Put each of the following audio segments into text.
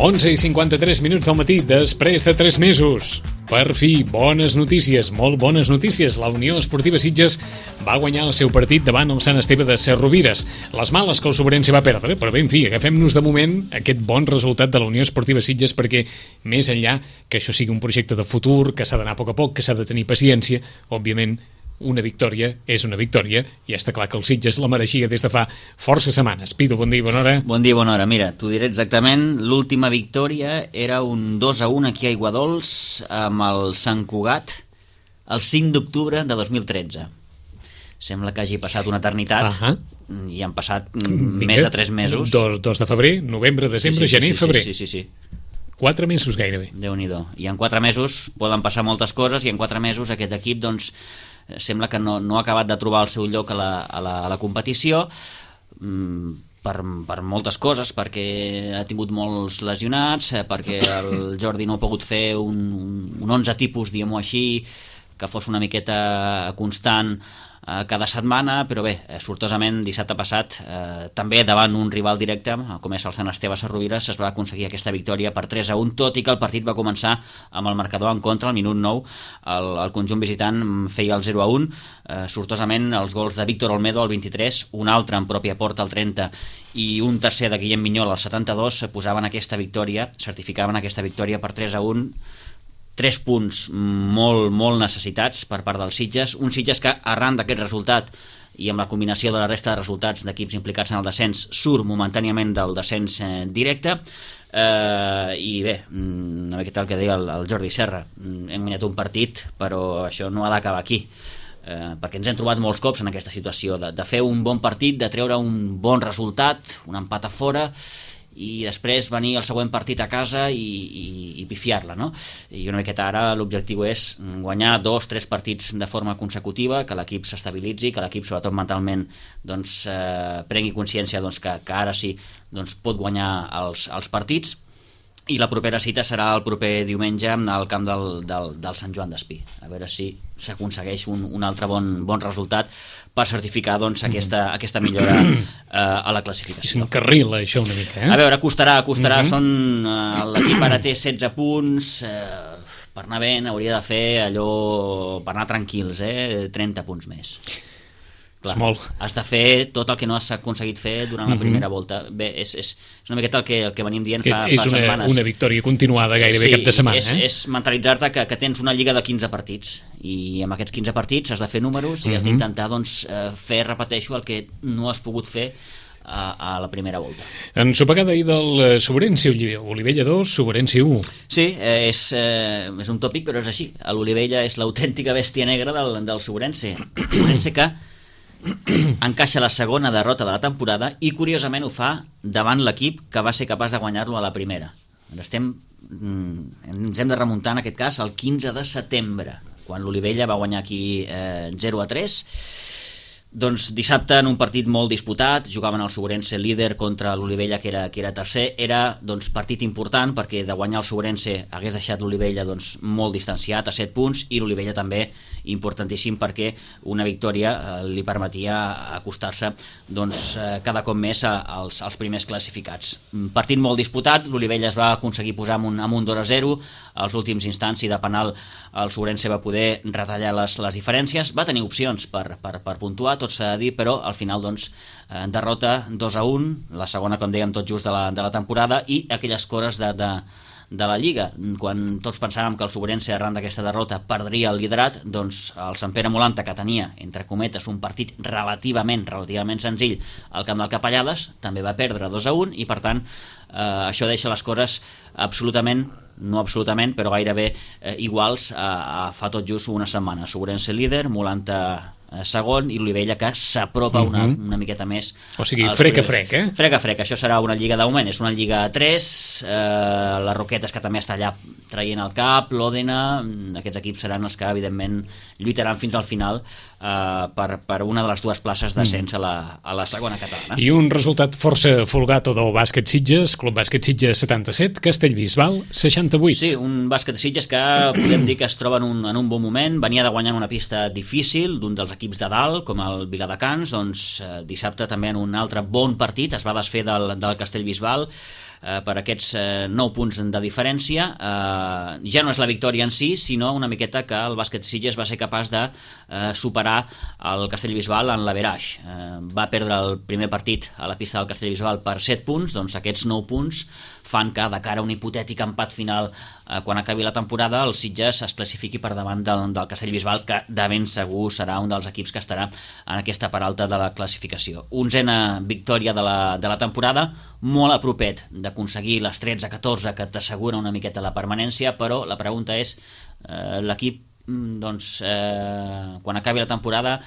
11:53 del matí, després de 3 mesos. Per fi, bones notícies, molt bones notícies. La Unió Esportiva Sitges va guanyar el seu partit davant el Sant Esteve de Serrovires. Les males que el Sobrense va perdre, però ben fi, agafem-nos de moment aquest bon resultat de la Unió Esportiva Sitges perquè, més enllà que això sigui un projecte de futur, que s'ha d'anar a poc, que s'ha de tenir paciència, òbviament, una victòria és una victòria i està clar que el Sitges la mereixia des de fa força setmanes. Pitu, bon dia, bona hora. Bon dia, bona hora. Mira, t'ho diré exactament. L'última victòria era un 2-1 aquí a Aiguadols amb el Sant Cugat el 5 d'octubre de 2013. Sembla que hagi passat una eternitat i han passat més de 3 mesos. 2 de febrer, novembre, desembre, gener, febrer. Sí. 4 mesos gairebé. Déu-n'hi-do. I en 4 mesos poden passar moltes coses i en 4 mesos aquest equip doncs sembla que no ha acabat de trobar el seu lloc a la competició per moltes coses, perquè ha tingut molts lesionats, perquè el Jordi no ha pogut fer un 11 tipus, diguem-ho així, que fos una miqueta constant cada setmana, però bé, sortosament dissabte passat, també davant un rival directe, com és el Sant Esteve Serrovires, es va aconseguir aquesta victòria per 3-1, tot i que el partit va començar amb el marcador en contra, al minut 9, el conjunt visitant feia el 0-1, sortosament els gols de Víctor Olmedo al 23, un altre en pròpia porta al 30 i un tercer de Guillem Minyol al 72, posaven aquesta victòria, certificaven aquesta victòria per 3-1, 3 punts molt necessitats per part dels Sitges, un Sitges que arran d'aquest resultat i amb la combinació de la resta de resultats d'equips implicats en el descens surt momentàniament del descens directe i bé, una miqueta el que deia el Jordi Serra, hem guanyat un partit però això no ha d'acabar aquí perquè ens hem trobat molts cops en aquesta situació de fer un bon partit, de treure un bon resultat, un empat a fora i després venir el següent partit a casa i pifiar-la, no? I una miqueta ara l'objectiu és guanyar 2-3 partits de forma consecutiva, que l'equip s'estabilitzi, que l'equip sobretot mentalment doncs, prengui consciència doncs, que ara sí doncs, pot guanyar els partits, i la propera cita serà el proper diumenge al camp del Sant Joan d'Espí, a veure si s'aconsegueix un altre bon resultat per certificar doncs, aquesta millora a la classificació. S'encarrila això una mica, A veure, costarà, l'equip ara té 16 punts, per anar bé hauria de fer allò, per anar tranquils, 30 punts més. Clar, has de fer tot el que no has aconseguit fer durant la primera volta. Bé, és una miqueta el que venim dient fa setmanes. És una victòria continuada gairebé cap de setmana. És mentalitzar-te que tens una lliga de 15 partits i amb aquests 15 partits has de fer números i has d'intentar doncs, fer, repeteixo, el que no has pogut fer a la primera volta. Ensopegada ahir del Sobrense, Olivella 2, Sobrense 1. Sí, és un tòpic, però és així. L'Olivella és l'autèntica bèstia negra del Sobrense. Sobrense que encaixa la segona derrota de la temporada i curiosament ho fa davant l'equip que va ser capaç de guanyar-lo a la primera. Ens hem de remuntar en aquest cas al 15 de setembre, quan l'Olivella va guanyar aquí 0-3. Doncs dissabte en un partit molt disputat, jugaven el Sobrense líder contra l'Olivella que era tercer, era doncs, partit important perquè de guanyar el Sobrense hagués deixat l'Olivella doncs, molt distanciat a 7 punts i l'Olivella també importantíssim perquè una victòria li permetia acostar-se doncs, cada cop més als primers classificats. Partit molt disputat, l'Olivella es va aconseguir posar amb un 2-0, als últims instants i de penal el Sobrense va poder retallar les diferències, va tenir opcions per puntuar, tot s'ha de dir, però al final doncs, derrota 2-1, la segona com dèiem tot just de la temporada i aquelles cores de la Lliga, quan tots pensàvem que el Sobrense arran d'aquesta derrota perdria el liderat, doncs el Sant Pere Molanta, que tenia, entre cometes, un partit relativament senzill al camp del Capellades, també va perdre 2-1 i per tant això deixa les coses no absolutament, però gairebé iguals a fa tot just una setmana. Sobrense líder, Molanta segon i l'Olivella que s'apropa una miqueta més. O sigui, frec a frec, Frec a frec, això serà una lliga d'augment, és una lliga a 3, les Roquetes que també està allà traient el cap, l'Òdena, aquests equips seran els que evidentment lluitaran fins al final per una de les dues places d'ascens a la segona catalana. I un resultat força folgat del bàsquet Sitges, Club Bàsquet Sitges 77, Castellbisbal 68. Sí, un bàsquet Sitges que podem dir que es troba en un bon moment, venia de guanyar una pista difícil d'un dels equips de dalt, com el Viladecans, doncs dissabte també en un altre bon partit es va desfer del Castellbisbal, per aquests 9 punts de diferència. Ja no és la victòria en si, sinó una miqueta que el bàsquet Sitges va ser capaç de superar el Castellbisbal en l'average. Va perdre el primer partit a la pista del Castellbisbal per 7 punts, doncs aquests 9 punts fan que, de cara a un hipotètic empat final quan acabi la temporada, el Sitges es classifiqui per davant del Castellbisbal, que de ben segur serà un dels equips que estarà en aquesta part alta de la classificació. 11a victòria de la temporada, molt a propet d'aconseguir les 13-14 que t'assegura una miqueta la permanència, però la pregunta és, l'equip, quan acabi la temporada,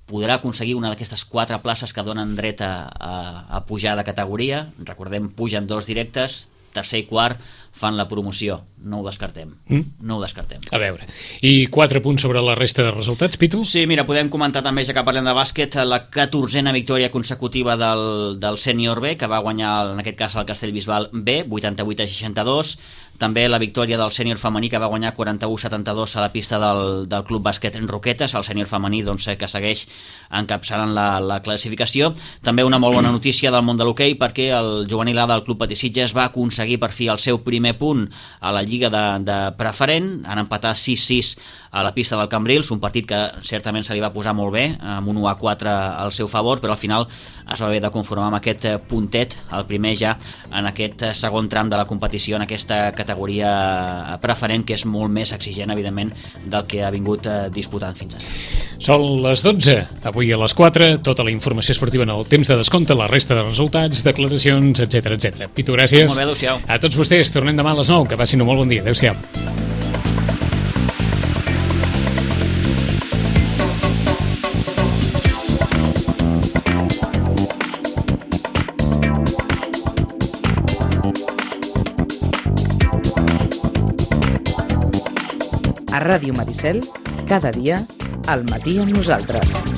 podrà aconseguir una d'aquestes 4 places que donen dret a pujar de categoria. Recordem, pugen 2 directes, tercer i quart fan la promoció. No ho descartem. No ho descartem. A veure, i 4 punts sobre la resta de resultats, Pitu? Sí, mira, podem comentar també, ja que parlem de bàsquet, la 14a victòria consecutiva del sènior B, que va guanyar, en aquest cas, el Castellbisbal B, 88-62. També la victòria del sènior femení, que va guanyar 41-72 a la pista del Club Bàsquet Roquetes, el sènior femení que segueix encapçalant la classificació. També una molt bona notícia del món de l'hoquei, perquè el juvenil A del Club Patí Sitges va aconseguir per fi el seu primer punt a la Lliga de preferent, han empatat 6-6 a la pista del Cambrils, un partit que certament se li va posar molt bé, amb un 1-4 al seu favor, però al final es va haver de conformar amb aquest puntet, el primer ja en aquest segon tram de la competició, en aquesta categoria preferent, que és molt més exigent, evidentment, del que ha vingut disputant fins ara. Són les 12, avui a les 4, tota la informació esportiva en el temps de descompte, la resta de resultats, declaracions, etc. Pitu, gràcies. Molt bé, adéu-siau. A tots vostès, tornem demà a les 9, que passin un molt bon dia. Adéu-siau. A Ràdio Maricel, cada dia, al matí amb nosaltres.